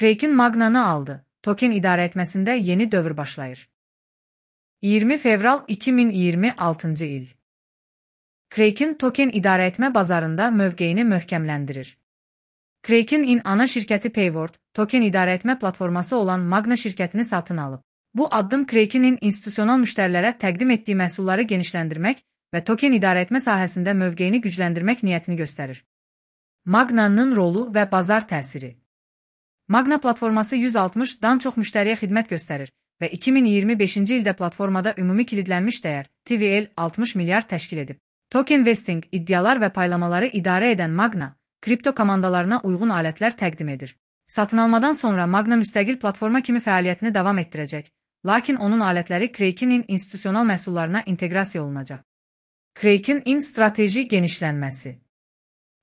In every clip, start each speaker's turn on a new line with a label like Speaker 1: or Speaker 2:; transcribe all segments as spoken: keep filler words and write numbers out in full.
Speaker 1: Kraken Magna'nı aldı. Token idarə etməsində yeni dövr başlayır. iyirmi fevral iki min iyirmi altıncı il. Kraken token idarə etmə bazarında mövqeyini möhkəmləndirir. Kraken-in ana şirkəti Payward, token idarə etmə platforması olan Magna şirkətini satın alıb. Bu addım Kraken-in institusional müştərilərə təqdim etdiyi məhsulları genişləndirmək və token idarə etmə sahəsində mövqeyini gücləndirmək niyyətini göstərir. Magna'nın rolu və bazar təsiri. Magna platforması yüz altmışdan çox müştəriyə xidmət göstərir və iki min iyirmi beşinci ildə platformada ümumi kilidlənmiş dəyər T V L altmış milyard təşkil edib. Token vesting, iddialar və paylamaları idarə edən Magna, kripto komandalarına uyğun alətlər təqdim edir. Satın almadan sonra Magna müstəqil platforma kimi fəaliyyətini davam etdirəcək, lakin onun alətləri Kraken-in institusional məhsullarına inteqrasiya olunacaq. Kraken-in strateji genişlənməsi.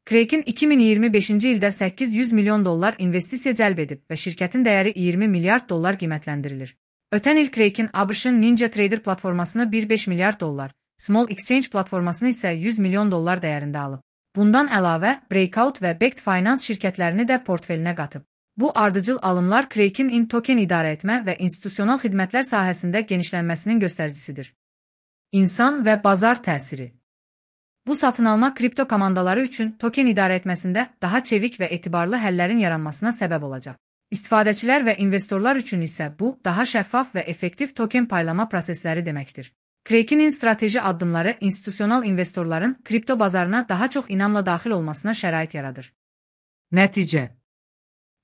Speaker 1: Kraken iki min iyirmi beşinci ildə səkkiz yüz milyon dollar investisiya cəlb edib və şirkətin dəyəri iyirmi milyard dollar qiymətləndirilir. Ötən il Kraken A B Ş-ın Ninja Trader platformasını bir nöqtə beş milyard dollar, Small Exchange platformasını isə yüz milyon dollar dəyərində alıb. Bundan əlavə, Breakout və Baked Finance şirkətlərini də portfelinə qatıb. Bu ardıcıl alımlar Kraken-in token idarə etmə və institusional xidmətlər sahəsində genişlənməsinin göstəricisidir. İnsan və bazar təsiri. Bu satın alma kripto komandaları üçün token idarə etməsində daha çevik və etibarlı həllərin yaranmasına səbəb olacaq. İstifadəçilər və investorlar üçün isə bu, daha şəffaf və effektiv token paylama prosesləri deməkdir. Kraken-in strateji addımları institusional investorların kripto bazarına daha çox inamla daxil olmasına şərait yaradır. Nəticə.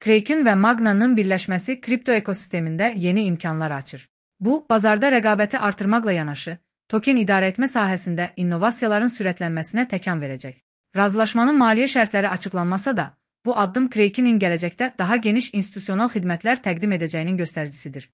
Speaker 1: Kraken və Magna'nın birləşməsi kripto ekosistemində yeni imkanlar açır. Bu, bazarda rəqabəti artırmaqla yanaşı, token idarə etmə sahəsində innovasiyaların sürətlənməsinə təkan verəcək. Razılaşmanın maliyyə şərtləri açıqlanmasa da, bu addım Kraken-in gələcəkdə daha geniş institusional xidmətlər təqdim edəcəyinin göstəricisidir.